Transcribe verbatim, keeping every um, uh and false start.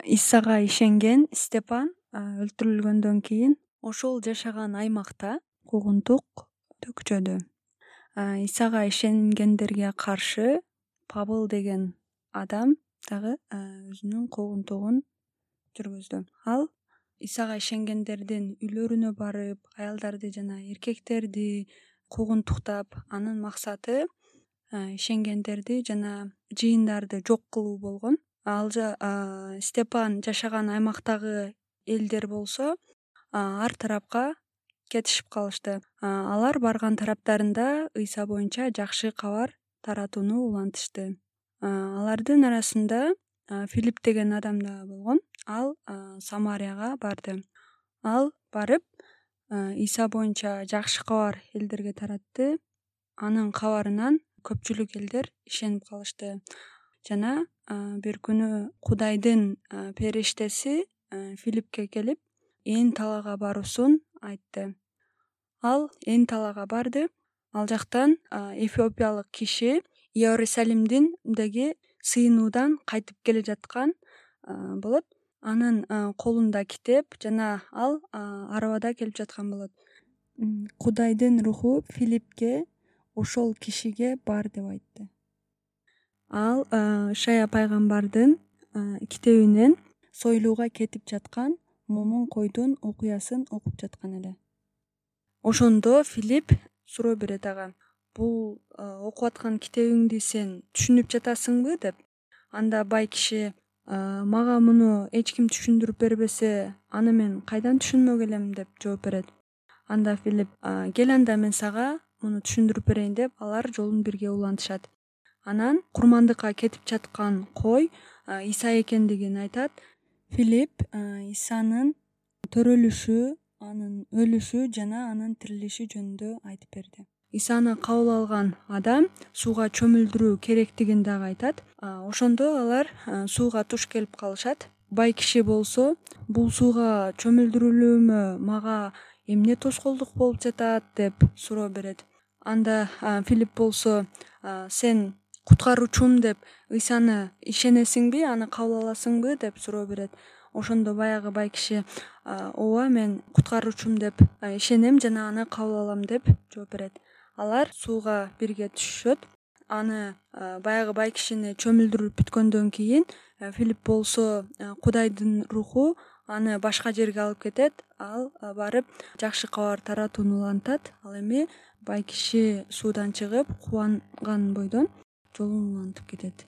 Исага ишенген Степан өлтүрүлгөндөн кийин ошол жашаган аймакта куугунтук төкчөдү. Исага ишенгендерге каршы Павыл деген адам дагы өзүнүн куугунтугун жүргүздү. Ал Исага ишенгендердин үйлөрүнө барып, аялдарды жана эркектерди куугунтуктап, анын максаты ишенгендерди жана жыйындарды жок кылуу болгон. Ал Степан жашаган аймактагы элдер болсо ар тарапка кетишип калышты. Алар барган тараптарында Ыйса боюнча жакшы кабар таратууну улантышты. Алардын арасында Филипп деген адам да болгон. Ал Самарияга барды. Ал барып Ыйса боюнча жакшы кабар элдерге таратты. Анын кабарынан көпчүлүк элдер ишенип калышты. Жана бир күнү Кудайдын периштеси Филиппке келип, Ээн талаага баруусун айтты. Ал Ээн талаага барды. Ал жактан эфиопиялык киши Иерусалимдеги сыйынуудан кайтып келе жаткан болот. Анын колунда китеп жана ал арабада келип жаткан болот. Кудайдын руху Филиппке ошол кишиге бар деп айтты. Ал Ышая пайгамбардын китебинен сойлууга кетип жаткан момун койдун окуясын окуп жаткан эле. Ошондо Филипп суроо берет ага: бул окуп аткан китебиңди сен түшүнүп жатасыңбы деп. Анда бай киши: мага муну эч ким түшүндүрүп бербесе, аны мен кайдан түшүнмөк элем деп жооп берет. Анда Филипп: кел анда мен сага муну түшүндүрүп берейин деп, алар жолун бирге улантышат. Анан курмандыкка кетип жаткан кой Иса экендигин айтат. Филипп Исанын төрөлүшү, анын өлүшү жана анын тирилиши жөнүндө айтып берди. Исаны кабыл алган адам сууга чөмүлдүрүү керектигин дагы айтат. Ошондо алар сууга туш келип калышат. Бай киши болсо: бул сууга чөмүлдүрүлүүмө мага эмне тоскоолдук болуп жатат деп суроо берет. Анда Филипп болсо: сен куткаруучум деп Ыйсаны ишенесиңби, аны кабыл аласыңбы деп суроо берет. Ошондо баягы бай киши: ооба, мен куткаруучум деп ишенем жана аны кабыл алам деп жооп берет. Алар сууга бирге түшүшөт. Аны баягы бай кишини чөмүлдүрүп бүткөндөн кийин Филипп болсо Кудайдын руху аны башка жерге алып кетет. Ал барып жакшы кабар таратууну улантат. Ал эми бай киши суудан чыгып, кубанган бойдон жолун улантып кетет.